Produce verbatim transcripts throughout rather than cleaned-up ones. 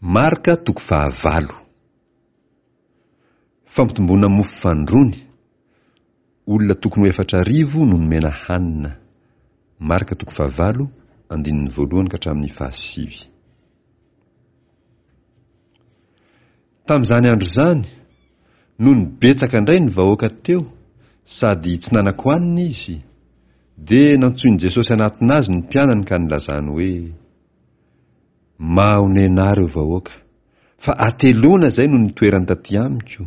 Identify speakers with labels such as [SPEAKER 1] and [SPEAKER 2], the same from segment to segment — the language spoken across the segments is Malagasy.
[SPEAKER 1] Marka toko fahavalo. Fampitomboana mofo fanindroany, olona tokony ho efatra arivo no nomena hanina. Marka toko fahavalo, andininy voalohany ka hatramin'ny fahasivy. Tamin'izany andro izany, nony betsaka indray ny vahoaka teo, sady tsy nanan-kohanina izy, dia nantsoin'i Jesosy hanatona azy ny mpianany ka nilazany hoe, Mahonena ahy ireo vahoaka, fa hateloana izay no nitoerany taty amiko,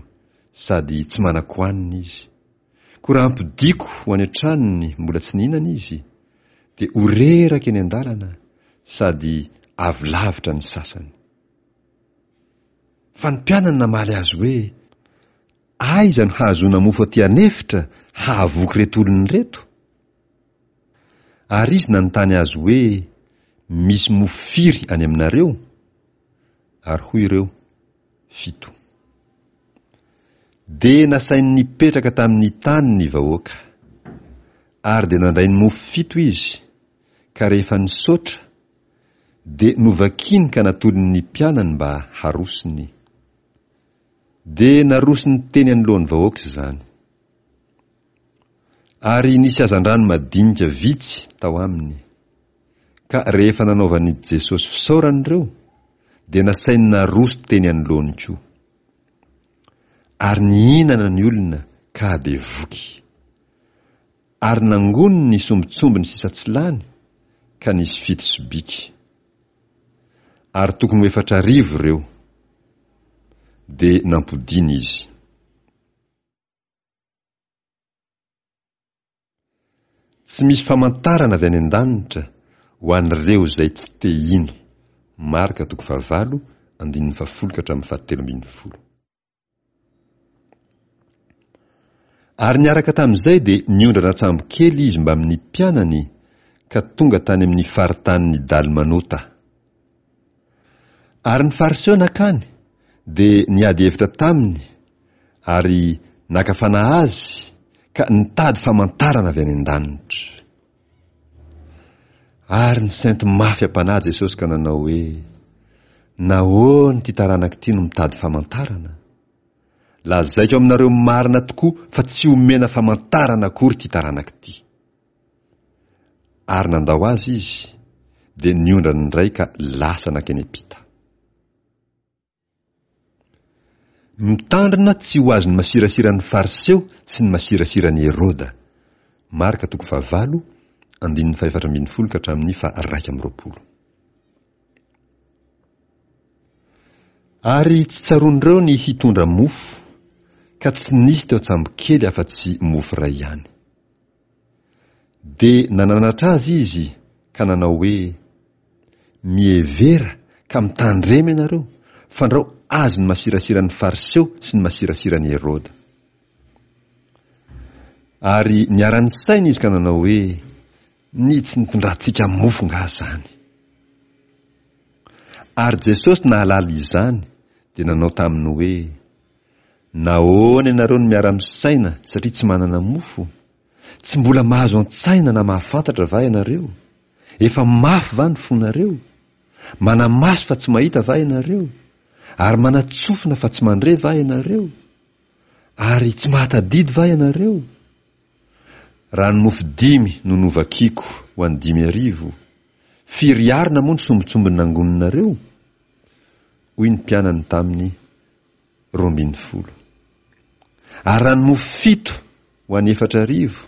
[SPEAKER 1] sady tsy manan-kohanina izy. Koa raha ampodiako ho any an-tranony mbola tsy nihinana izy, dia ho reraka eny an-dalana, sady avy lavitra ny sasany. Fa ny mpianany namaly azy hoe, Aiza no hahazoana mofo aty an'efitra hahavoky ireto olona ireto? Ary izy nanontany azy hoe, Misy mofo firy any aminareo? Ary hoy ireo, Fito. Dia nasainy nipetraka tamin'ny tany ny vahoaka. Ary dia nandray ny mofo fito izy, ka rehefa nisaotra, dia novakiny ka natolony ny mpianany mba harosony. Dia narosony teny anoloan'ny vahoaka izany. Ary nisy hazandrano madinika vitsy tao aminy. Ka rehefa nanaovan'i Jesosy fisaorana ireo, dia nasainy naroso teny anoloany koa. Ary nihinana ny olona ka dia voky. Ary nangoniny ny sombintsombiny sisa tsy lany, ka nisy fito sobiky. Ary tokony ho efatra arivo ireo. Dia nampodiana izy. Tsy misy famantarana avy any an-danitra ho an'ireo izay tsy te hino. Marka toko fahavalo, andininy fahafolo ka hatramin'ny fahatelo ambin'ny folo. Ary niaraka tamin'izay dia niondrana an-tsambo kely izy mbamin'ny mpianany ka tonga tany amin'ny faritanin'i Dalmanota. Ary ny Fariseo nankany dia niady hevitra taminy ary naka fanahy azy ka nitady famantarana avy any an-danitra. Ary nisento mafy am-panahy Jesosy ka nanao hoe, Nahoana ity taranaka ity no mitady famantarana? Lazaiko aminareo marina tokoa fa tsy homena famantarana akory ity taranaka ity. Ary nandao azy izy, dia niondrana indray ka lasa nankeny am-pita. Mitandrina tsy ho azon'ny masirasiran'ny Fariseo sy ny masirasiran'i Heroda. Marka toko fahavalo, andininy fahefatra ambin'ny folo ka hatramin'ny faha-iraika amby roapolo. Ary tsy tsaroan'ireo ny hitondra mofo, ka tsy nisy teo an-tsambokely afa-tsy mofo iray ihany. Dia nananatra azy izy ka nanao hoe, Mihevera ka mitandrema ianareo, fandrao azon'ny masirasiran'ny Fariseo sy ny masirasiran'i Heroda. Ary niara-nisaina izy ka nanao hoe, Ny tsy nitondrantsika mofo angaha izany? Ary Jesosy nahalala izany dia nanao taminy hoe, Nahoana ianareo no miara-misaina satria tsy manana mofo? Tsy mbola mahazo an-tsaina na mahafantatra va ianareo? Efa mafy va ny fonareo? Manamaso fa tsy mahita va ianareo? Ary manatsofina fa tsy mandre va ianareo? Ary tsy mahatadidy va ianareo? Raha ny mofo dimy no novakiko ho an'ny dimy arivo, firy arina moa ny sombintsombiny nangoninareo? Hoy ny mpianany taminy, Roa ambin'ny folo. Ary raha ny mofo fito ho an'ny efatra arivo,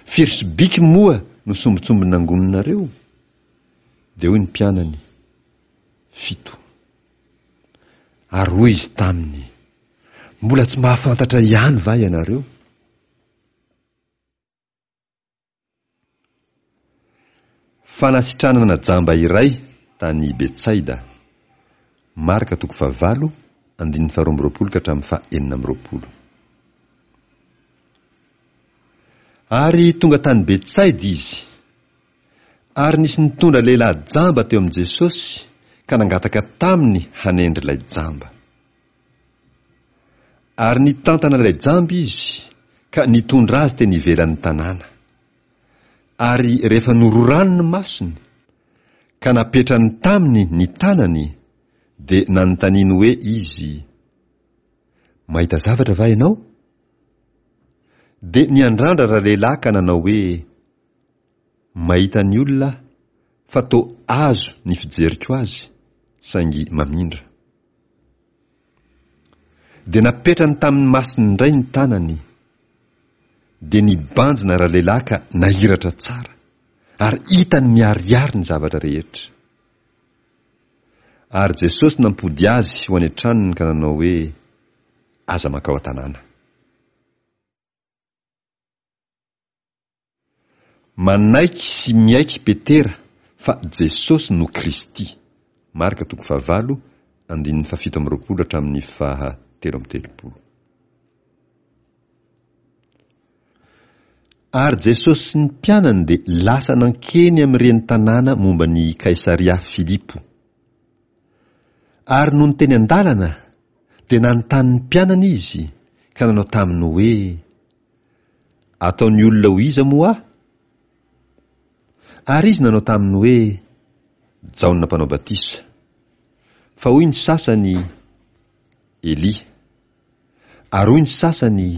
[SPEAKER 1] firy sobiky moa no sombintsombiny nangoninareo? Dia hoy ny mpianany, Fito. Ary hoy izy taminy, Mbola tsy mahafantatra ihany va ianareo? Fanasitranana jamba iray tany Betsaida. Marka toko fahavalo, andininy faharoa amby roapolo ka hatramin'ny faha enina amby roapolo. Ary tonga tany Betsaida izy. Ary nisy nitondra lehilahy jamba teo amin'i Jesosy ka nangataka taminy hanendry ilay jamba. Ary nitantana ilay jamba izy ka nitondra azy teny ivelan'ny tanàna. Ary rehefa nororany ny masony, ka napetrany taminy ny tanany, Dia nanontaniany hoe izy, Mahita zavatra va ianao? Dia niandrandra ralehilahy ka nanao hoe, Mahita ny olona aho, fa toa azo ny fijeriko azy, saingy mamindra. Dia napetrany tamin'ny masony indray ny tanany. Dia nibanjina ralehilahy ka nahiratra tsara, ary hitany miharihary ny zavatra rehetra. Ary Jesosy nampody azy ho any an-tranony ka nanao hoe, Aza mankao an-tanàna. Manaiky sy miaiky Petera fa Jesosy no Kristy. Marka toko fahavalo, andininy fahafito amby roapolo hatramin'ny faha telo amby telopolo. Ary Jesosy sy ny mpianany dia lasa nankeny amin'ireny tanàna momba ny Kaisaria Filipo. Ary nony teny an-dalana, dia nanontany ny mpianany Izy, ka nanao taminy hoe, Ataon'ny olona ho iza moa Aho? Ary izy nanao taminy hoe, Jaona Mpanao Batisa. Fa hoy ny sasany, Elia. Ary hoy ny sasany,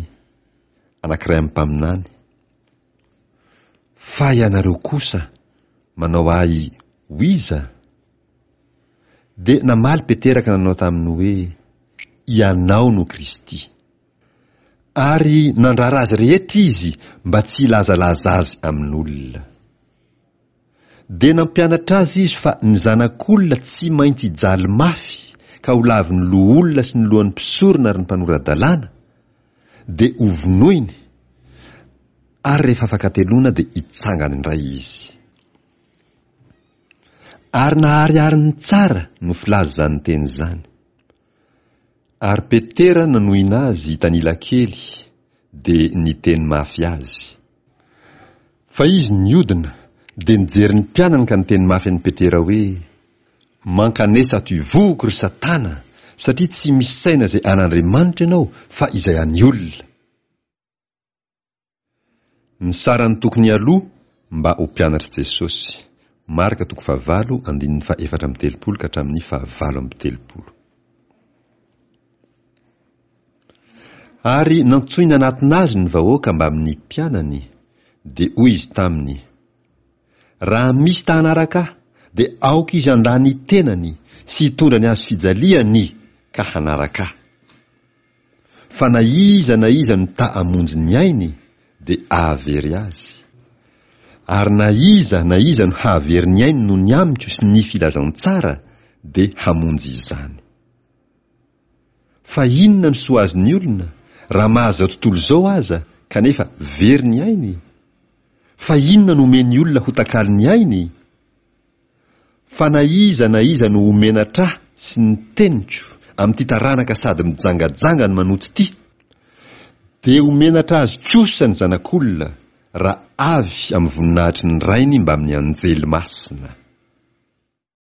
[SPEAKER 1] Anankiray amin'ny mpaminany. Fa ianareo kosa manao ahy ho iza? Dia namaly Petera ka nanao taminy hoe, Ianao no Kristy. Ary nandrara azy rehetra izy mba tsy hilazalaza azy amin'olona. Dia nampianatra azy izy fa ny Zanak'olona tsy maintsy hijaly mafy ka ho lavin'ny loholona sy ny lohan'ny mpisorona ary ny mpanora-dalàna, dia hovonoiny, ary rehefa afaka hateloana dia hitsangana indray izy. Ary naharihariny tsara no filaza izany teny izany. Ary Petera nanohina azy hitanila kely, dia niteny mafy azy. Fa izy niodina, dia nijery ny mpianany ka niteny mafy an'i Petera hoe, Mankanesa ato ivohoko, ry Satana, satria tsy misaina izay an'Andriamanitra ianao, fa izay an'ny olona. Ny sarany tokony aloa mba ho mpianatr'i Jesosy. Marka toko fahavalo andininy faha efatra amby telopolo ka hatramin'ny fahavalo amby telopolo. Ary nantsoiny hanatona azy ny vahoaka mbamin'ny mpianany, dia hoy izy taminy, Raha misy ta hanaraka ahy, dia aoka izy handà ny tenany sy hitondra ny hazo fijaliany ka hanaraka ahy. Fa na iza na iza no ta hamonjy ny ainy, dia hahavery azy. Ary na iza na iza no hahavery ny ainy noho ny amiko sy ny filazantsara, dia hamonjy izany. Fa inona no soa azon'ny olona, raha mahazo izao tontolo izao aza, kanefa very ny ainy? Fa inona no omen'ny olona ho takalon'ny ainy? Fa na iza na iza no ho menatra ahy sy ny teniko amin'ity taranaka sady mijangajanga no manoto ity, dia ho menatra azy kosa ny Zanak'olona raha avy amin'ny voninahitry ny Rainy mbamin'ny anjely masina.